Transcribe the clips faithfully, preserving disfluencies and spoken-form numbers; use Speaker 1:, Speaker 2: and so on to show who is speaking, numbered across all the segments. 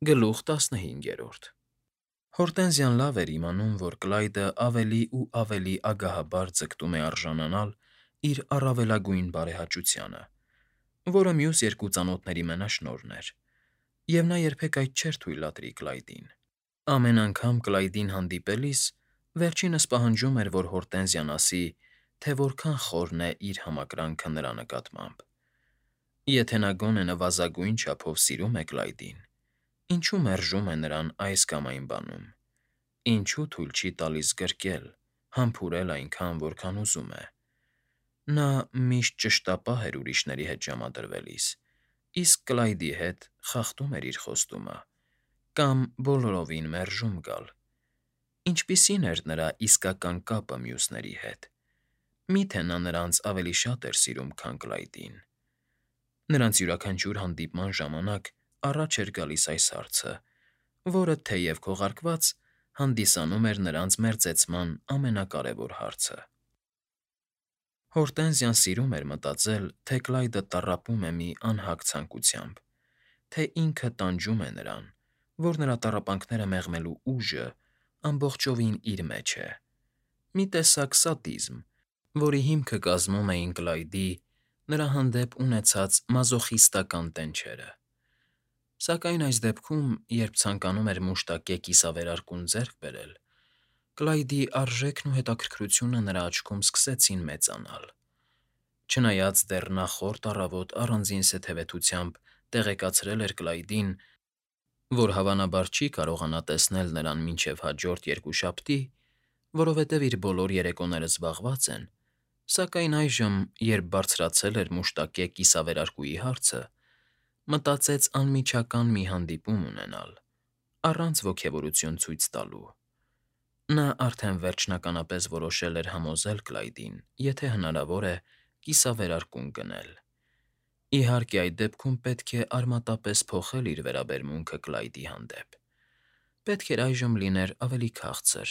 Speaker 1: Գլուխ տասնհինգերորդ Հորտենզիան լավ էր իմանում, որ Կլայդը ավելի ու ավելի ագահաբար ձգտում է արժանանալ իր առավելագույն բարեհաճությանը, որը մյուս երկու ծանոթների մենաշնորհն էր, և նա երբեք այդ չէր թույլատրի Կլայդին. ամեն անգամ Կլայդին հանդիպելիս վերջինս պահանջում էր, որ Հորտենզիան ասի, թե որքան խորն է իր համակրանքը նրա նկատմամբ. եթե նա գոնե նվազագույն չափով սիրում է Կլայդին, ինչո՞ւ մերժում է նրան այս կամ այն բանում, ինչո՞ւ թույլ չի տալիս գրկել, համբուրել այնքան, որքան ուզում է. նա միշտ ճշտապահ էր ուրիշների հետ ժամադրվելիս, իսկ Կլայդի հետ խախտում էր իր խոստումը կամ բոլորովին մերժում գալ. ինչպիսի՞ն էր նրա իսկական կապը մյուսների հետ. մի՞թե նա նրանց ավելի շատ էր սիրում, քան Կլայդին: Նրանց յուրաքանչյուր հանդիպման ժամանակ առաջ էր գալիս այս հարցը, որը, թեև քողարկված, հանդիսանում էր նրանց մերձեցման ամենակարևոր հարցը: Հորտենզիան սիրում էր մտածել, թե Կլայդը տառապում է մի անհագ ցանկությամբ, թե ինքը տանջում է նրան, որ նրա տառապանքները մեղմելու ուժը ամբողջովին իր մեջ է, մի տեսակ սադիզմ, որի հիմքը կազմում էին Կլայդի նրա հանդեպ ունեցած մազոխիստական տենչերը: Սակայն այս դեպքում, երբ ցանկանում էր մուշտակե կիսավերարկուն ձեռք բերել, Կլայդի արժեքն ու հետաքրքրությունը նրա աչքում սկսեցին մեծանալ: Չնայած դեռ նախորդ առավոտ առանձին սթևեցությամբ տեղեկացրել էր Կլայդին, որ հավանաբար չի կարողանա տեսնել նրան մինչև հաջորդ երկուշաբթի, որովհետև իր բոլոր երեկոները զբաղված են, սակայն այժմ, երբ բարձրացել էր մուշտակե կիսավերարկուի հարցը, մտածեց անմիջական մի հանդիպում ունենալ, առանց ոգևորություն ցույց տալու: Նա արդեն վերջնականապես որոշել էր համոզել Կլայդին, եթե հնարավոր է, կիսավերարկուն գնել: Իհարկե, այդ դեպքում պետք է արմատապես փոխել իր վերաբերմունքը Կլայդի հանդեպ: Պետք էր այժմ լիներ ավելի քաղցր,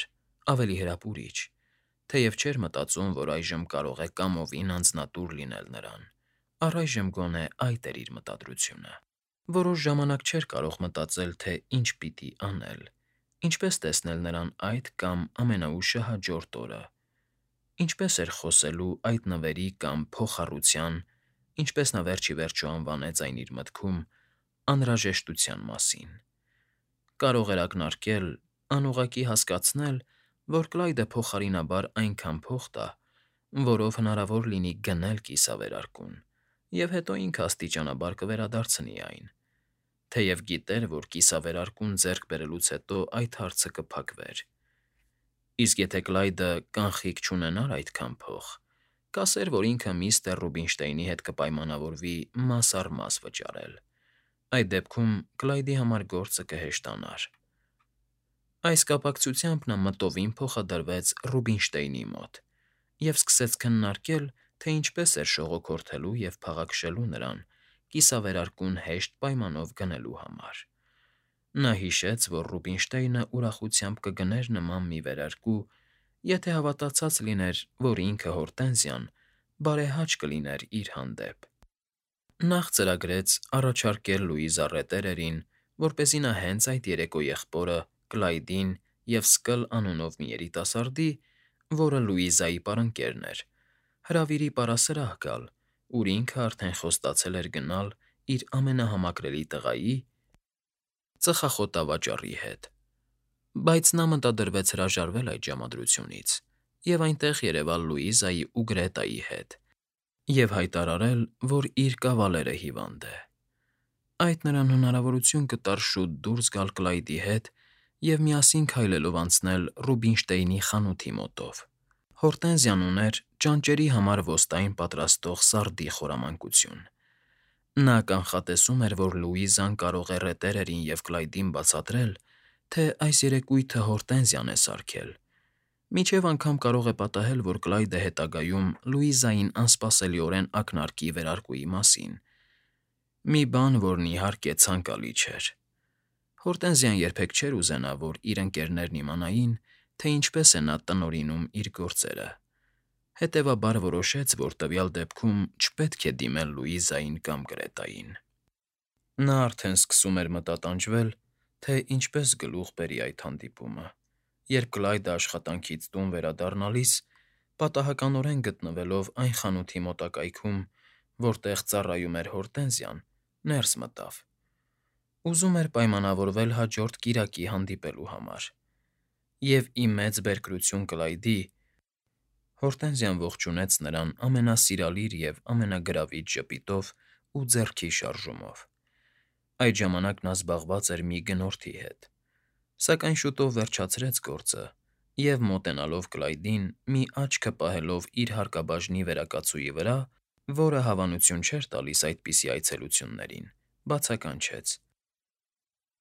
Speaker 1: ավելի հրապուրիչ, թեև չէր մտածում, որ այժմ կարող է կամովին անձնատուր լինել նրան, առայժմ գոնե այդ էր իր մտադրությունը: Որոշ ժամանակ չէր կարող մտածել, թե ինչ պիտի անել, ինչպես տեսնել նրան այդ կամ ամենաուշը հաջորդ օրը, ինչպես էր խոսելու այդ նվերի կամ փոխառության, ինչպես նա վերջ ի վերջո անվանեց այն իր մտքում, անհրաժեշտության մասին: Կարող էր ակնարկել, անուղղակի հասկացնել, որ Կլայդը փոխարինաբար այնքան փող տա, որով հնարավոր լինի գնել կիսավերարկուն, և հետո ինքը աստիճանաբար կվերադարձնի այն, թեև գիտեր, որ կիսավերարկուն ձեռք բերելուց հետո այդ հարցը կփակվեր: Իսկ եթե Կլայդը կանխիկ չունենար այդքան փող, կասեր, որ ինքը միստր Ռուբինշտեյնի հետ կպայմանավորվի մաս առ մաս վճարել: Այդ դեպքում Կլայդի համար գործը կհեշտանար: Այս կապակցությամբ նա մտովին փոխադրվեց Ռուբինշտեյնի մոտ և սկսեց քննարկել, թե ինչպես էր շողոքորթելու և փաղաքշելու նրան կիսավերարկուն հեշտ պայմանով գնելու համար: Նա հիշեց, որ Ռուբինշտեյնը ուրախությամբ կգներ նման մի վերարկու, եթե հավատացած լիներ, որ ինքը, Հորտենզիան, բարեհաճ կլիներ իր հանդեպ: Նախ ծրագրեց առաջարկել Լուիզա Ռետերերին, որպեսզի նա հենց այդ երեկո եղբորը Կլայդին և Սկլ անունով մի երիտասարդի, որը Լուիզայի պարընկերն էր, հրավիրի պարասրահ գալ, ուր ինքը արդեն խոստացել էր գնալ իր ամենահամակրելի տղայի՝ ծխախոտավաճառի հետ: Բայց նա մտադրվեց հրաժարվել այդ ժամադրությունից և այնտեղ երևալ Լուիզայի ու Գրետայի հետ և հայտարարել, որ իր կավալերը հիվանդ է: Այդ նրան հնարավորություն կտար շուտ դուրս գալ Կլայդի հետ և միասին քայլելով անցնել Ռուբինշտեյնի խանութի մոտով: Հորտենզիան ուներ ճանճերի համար ոստային պատրաստող սարդի խորամանկություն: Նա կանխատեսում էր, որ Լուիզան կարող է Ռետերերին և Կլայդին բացատրել, թե այս երեկույթը Հորտենզիան է սարքել, մինչև անգամ կարող է պատահել, որ Կլայդը հետագայում Լուիզային անսպասելիորեն ակնարկի վերարկուի մասին, մի բան, որն, իհարկե, ցանկալի չէր: Հորտենզիան երբեք չէր ուզենա, որ իր ընկերներն իմանային, թե ինչպես է նա տնօրինում իր գործերը, հետևաբար որոշեց, որ տվյալ դեպքում չպետք է դիմել Լուիզային կամ Գրետային: Նա արդեն սկսում էր մտատանջվել, թե ինչպես գլուխ բերի այդ հանդիպումը, երբ Կլայդը աշխատանքից տուն վերադառնալիս, պատահականորեն գտնվելով այն խանութի մոտակայքում, որտեղ ծառայում էր Հորտենզիան, ներս մտավ. ուզում էր պայմանավորվել հաջորդ կիրակի հանդիպելու համար, և ի մեծ բերկրություն Կլայդի, Հորտենզիան ողջունեց նրան ամենասիրալիր և ամենագրավիչ ժպիտով ու ձեռքի շարժումով. այդ ժամանակ նա զբաղված էր մի գնորդի հետ, սակայն շուտով վերջացրեց գործը և, մոտենալով Կլայդին, մի աչքը պահելով իր հարկաբաժնի վերակացուի վրա, որը հավանություն չէր տալիս այդպիսի այցելություններին, բացականչեց.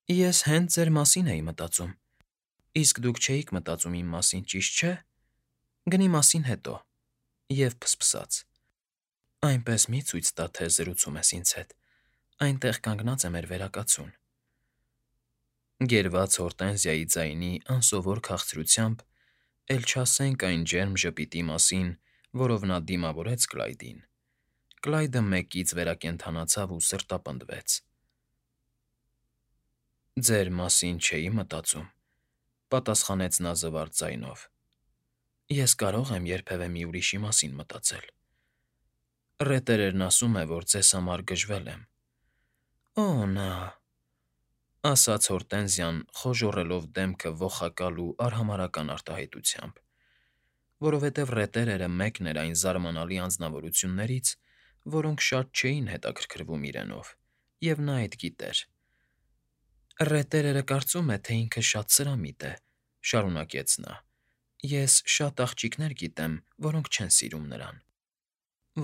Speaker 1: Ես հենց ձեր մասին էի մտածում, իսկ դուք չէիք մտածում իմ մասին, ճիշտ չէ՞, գնի մասին հետո, և փսփսաց. այնպես մի՛ ցույց տա, թե զրուցում ես ինձ հետ, այնտեղ կանգնած է մեր վերակացուն… Գերված Հորտենզիայի ձայնի անսովոր քաղցրությամբ, էլ չասենք այն ջերմ ժպիտի մասին, որով նա դիմավորեց Կլայդին, Կլայդը մեկից վերակենդանացավ ու սրտապնդվեց. Ձեր մասին չէի մտածում,֊ պատասխանեց նա զվարթ ձայնով, ես կարող եմ երբևէ մի ուրիշի մասին մտածել… Ռետերերն ասում է, որ ձեզ համար գժվել եմ… Օ՜, նա,֊ ասաց Հորտենզիան, խոժոռելով դեմքը ողակալ ու արհամարհական արտահայտությամբ, որովհետև ռետերերը մեկն էր այն զարմանալի անձնավորություններից, որոնք շատ չէին հետաքրքրվում իրենով, և նա այդ գիտեր… Ռետերերը կարծում է, թե ինքը շատ սրամիտ է,֊ շարունակեց նա,֊ ես շատ աղջիկներ գիտեմ, որոնք չեն սիրում նրան…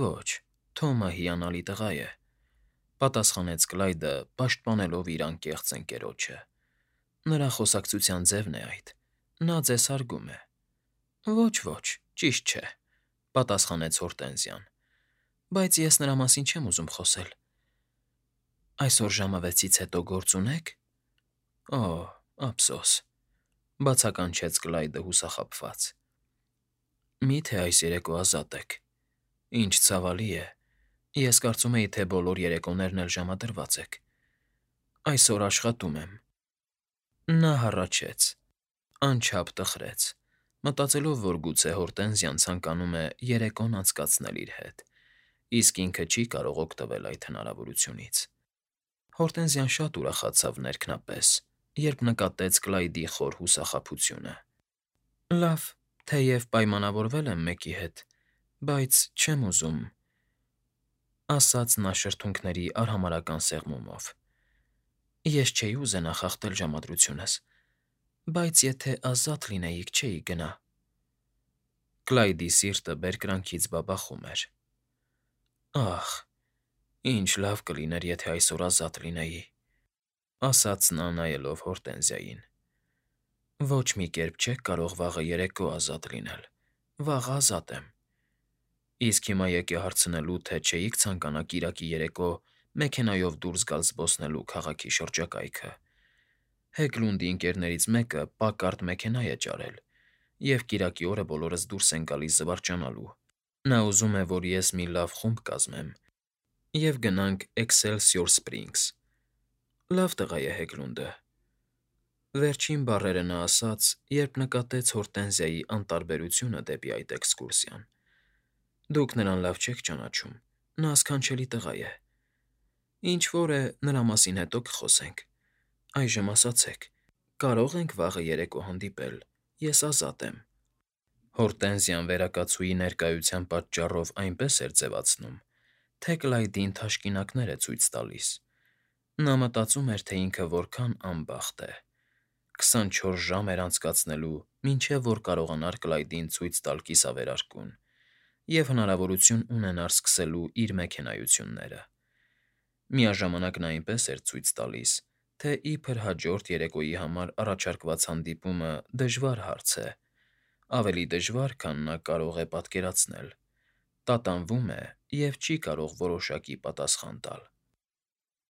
Speaker 1: Ոչ, Թոմը հիանալի տղա է,֊ պատասխանեց Կլայդը, պաշտպանելով իր անկեղծ ընկերոջը,֊ նրա խոսակցության ձևն է այդ, նա ձեզ հարգում է… Ոչ, ոչ, ճիշտ չէ,֊ պատասխանեց Հորտենզիան,֊ բայց ես նրա մասին չեմ ուզում խոսել… Այսօր ժամը վեցից հետո գործ ունե՞ք… Օ՜, ափսոս,֊ բացականչեց Կլայդը հուսախաբված,֊ Մի՞թե այս երեկո ազատ եք… Ինչ ցավալի է, ես կարծում էի, թե բոլոր երեկոներն էլ ժամադրված եք… Այսօր աշխատում եմ… Նա հառաչեց, անչափ տխրեց, մտածելով, որ գուցե Հորտենզիան ցանկանում է երեկոն անցկացնել իր հետ, իսկ ինքը չի կարող օգտվել այդ հնարավորությունից… Հորտենզիան շատ ուրախացավ ներքնապես, երբ նկատեց Կլայդի խոր հուսախաբությունը… Լավ, թեև պայմանավորվել եմ մեկի հետ, բայց չեմ ուզում,֊ ասաց նա շրթունքների արհամարհական սեղմումով,֊ ես չէի ուզենա խախտել ժամադրությունս, բայց եթե ազատ լինեիք, չէի գնա… Կլայդի սիրտը բերկրանքից բաբախում էր… Ախ, ինչ լավ կլիներ, եթե այսօր ազատ լինեի,֊ ասաց նա, նայելով Հորտենզիային,֊ Ոչ մի կերպ չեք կարող վաղը երեկո ազատ լինել, վաղը ազատ եմ… Իսկ հիմա եկ է հարցնելու, թե չէիք ցանկանա կիրակի երեկո մեքենայով դուրս գալ զբոսնելու քաղաքի շրջակայքը… Հեգլունդի ընկերներից մեկը պակարդ մեքենա է ճարել, և կիրակի օրը բոլորս դուրս ենք գալիս զվարճանալու… Նա ուզում է, որ ես մի լավ խումբ կազմեմ, և գնանք Էքսելսիոր Սփրինգս… Լավ տղա է Հեգլունդը… Վերջին բառերը նա ասաց, երբ նկատեց Հորտենզիայի անտարբերությունը դեպի այդ էքսկուրսիան… Դուք նրան լավ չեք ճանաչում, նա սքանչելի տղա է… Ինչ֊որ է, նրա մասին հետո կխոսենք… Այժմ ասացեք, կարո՞ղ ենք վաղը երեկո հանդիպել, ես ազատ եմ… Հորտենզիան վերակացուի ներկայության պատճառով այնպես էր ձևացնում, թե Կլայդին թաշկինակներ է ցույց տալիս… Նա մտածում էր, թե ինքը որքան անբախտ է… քսանչորս ժամ էր անցկացնելու, մինչև որ կարողանար Կլայդին ցույց տալ կիսավերարկուն և հնարավորություն ունենար սկսելու իր մեքենայությունները… Միաժամանակ նա այնպես էր ցույց տալիս, թե իբր հաջորդ երեկոյի համար առաջարկված հանդիպումը դժվար հարց է, ավելի դժվար, քան նա կարող է պատկերացնել, տատանվում է և չի կարող որոշակի պատասխան տալ…